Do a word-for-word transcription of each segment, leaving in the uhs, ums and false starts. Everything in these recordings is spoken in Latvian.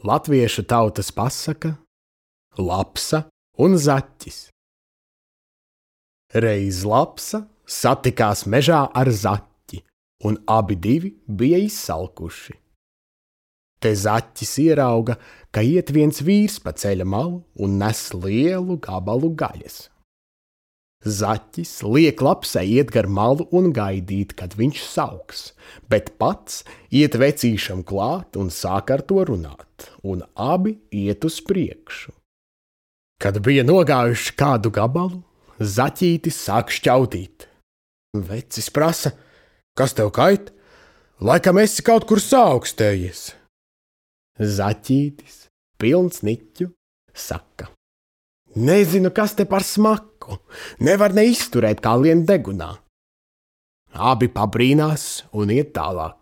Latviešu tautas pasaka, lapsa un zaķis. Reiz lapsa satikās mežā ar zaķi, un abi divi bija izsalkuši. Te zaķis ierauga, ka iet viens vīrs pa ceļa malu un nes lielu gabalu gaļas. Zaķis liek lapsai iet gar malu un gaidīt, kad viņš sauks, bet pats iet vecīšam klāt un sāk ar to runāt, un abi iet uz priekšu. Kad bija nogājuši kādu gabalu, zaķītis sāk šķautīt. Vecis prasa, kas tev kait? Laikam esi kaut kur saaukstējies. Zaķītis, pilns niķu, saka: Nezinu, kas te par smaku, nevar neizturēt kā lien degunā. Abi pabrīnās un iet tālāk.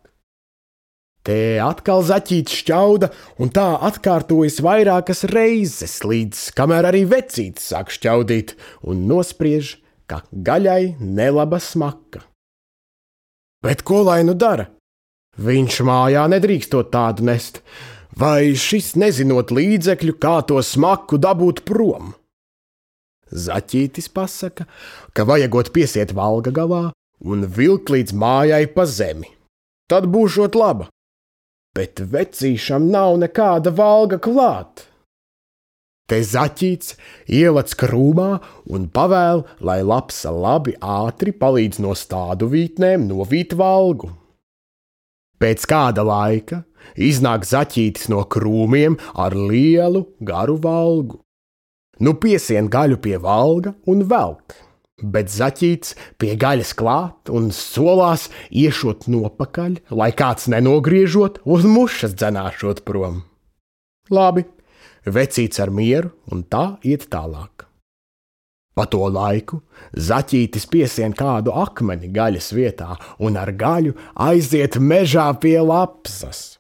Te atkal zaķītis šķauda, un tā atkārtojas vairākas reizes, līdz kamēr arī vecītis sāk šķaudīt un nospriež, ka gaļai nelaba smaka. Bet ko lai nu dara? Viņš mājā nedrīkstot tādu nest, vai šis nezinot līdzekļu, kā to smaku dabūt prom? Zaķītis pasaka, ka vajagot piesiet valga galā un vilkt līdz mājai pa zemi. Tad būšot laba. Bet vecīšam nav nekāda valga klāt. Te zaķīts ielec krūmā un pavēl, lai lapsa labi ātri palīdz no stādu vītnēm novīt valgu. Pēc kāda laika iznāk zaķītis no krūmiem ar lielu garu valgu. Nu piesien gaļu pie valga un velk, bet zaķītis pie gaļas klāt un solās iešot nopakaļ, lai kāds nenogriežot un mušas dzenāšot prom. Labi, vecīts ar mieru un tā iet tālāk. Pa to laiku zaķītis piesien kādu akmeni gaļas vietā un ar gaļu aiziet mežā pie lapsas.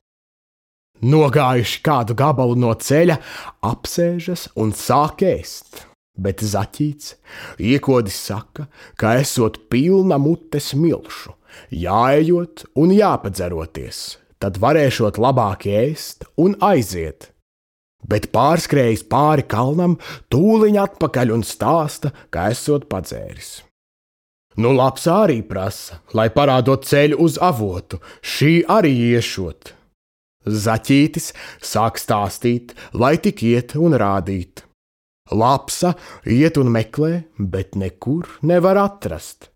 Nogājuši kādu gabalu no ceļa, apsēžas un sāk ēst, bet zaķīts iekodis saka, ka esot pilna mute smilšu, jāejot un jāpadzeroties, tad varēšot labāk ēst un aiziet. Bet pārskrējis pāri kalnam, tūliņ atpakaļ un stāsta, ka esot padzēris. Nu lapsa arī prasa, lai parādot ceļu uz avotu, šī arī iešot. Zaķītis sāk stāstīt, lai tik iet un rādīt. Lapsa iet un meklē, bet nekur nevar atrast.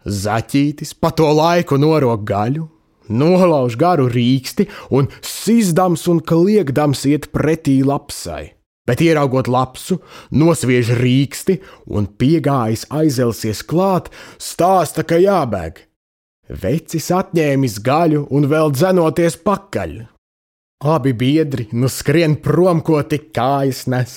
Zaķītis pa to laiku norok gaļu, nolauž garu rīksti un sizdams un kliegdams iet pretī lapsai. Bet ieraugot lapsu, nosviež rīksti un piegājis aizelsies klāt, stāsta, ka jābēg. Vecis atņēmis gaļu un vēl dzenoties pakaļ. Abi biedri nu skrien prom, ko tik kājas nes.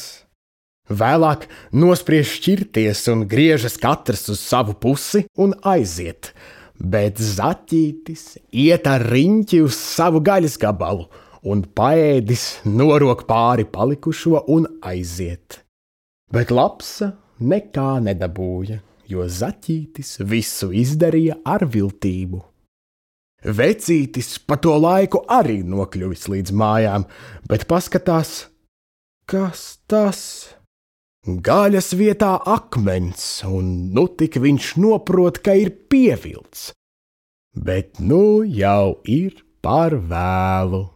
Vēlāk nospriež šķirties un griežas katrs uz savu pusi un aiziet, bet zaķītis iet ar riņķi uz savu gaļas gabalu un paēdis norok pāri palikušo un aiziet. Bet lapsa nekā nedabūja, jo zaķītis visu izdarīja ar viltību. Vecītis pa to laiku arī nokļuvis līdz mājām, bet paskatās, kas tas? Gaļas vietā akmens, un nu tik viņš noprot, ka ir pievilts. Bet nu jau ir par vēlu.